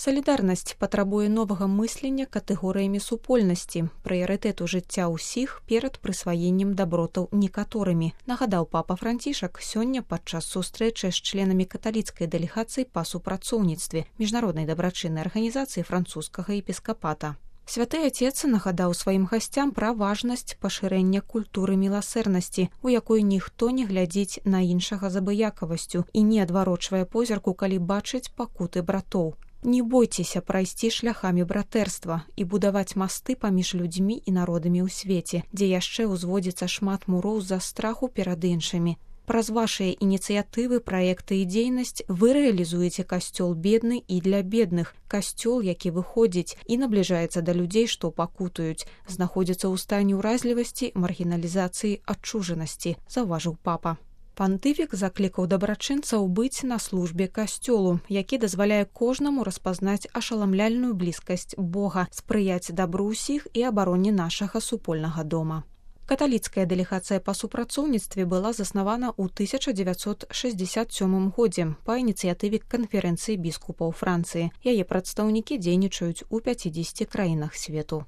Салідарнасць патрабуе новага мыслення катэгорыямі супольнасці, прыярытэту жыцця ўсіх перад прысваеннем дабротаў некаторымі, нагадаў папа Францішак сёння падчас сустрэчы з членамі каталіцкай дэлегацыі па супрацоўніцтве міжнароднай дабрачыннай арганізацыі французскага епіскапата. Святы Отец нагадаў сваім гасцям пра важнасць пашырэння культуры міласэрнасці, у якой ніхто не глядзіць на іншага з абыякавасцю і не адварочвае позірку, калі бачыць пакуты братоў. Не бойцеся прайсці шляхамі братэрства і будаваць масты паміж людзьмі і народамі ў свеце, дзе яшчэ ўзводзіцца шмат муроў з-за страху перад іншымі. Праз вашыя ініцыятывы, праекты і дзейнасць вы рэалізуеце касцёл бедны і для бедных, касцёл, які выходзіць і набліжаецца да людзей, што пакутаюць, знаходзіцца ў стане ўразлівасці, маргіналізацыі, адчужанасці, заўважыў папа. Пантыфік заклікаў дабрачынцаў быць на службе касцёлу, які дазваляе кожнаму распазнаць ашаламляльную блізкасць Бога, спрыяць дабру ўсіх і абароне нашага супольнага дома. Каталіцкая дэлегацыя па супрацоўніцтве была заснавана ў 1967 годзе па ініцыятыве канферэнцыі біскупаў Францыі. Яе прадстаўнікі дзейнічаюць у 50 краінах свету.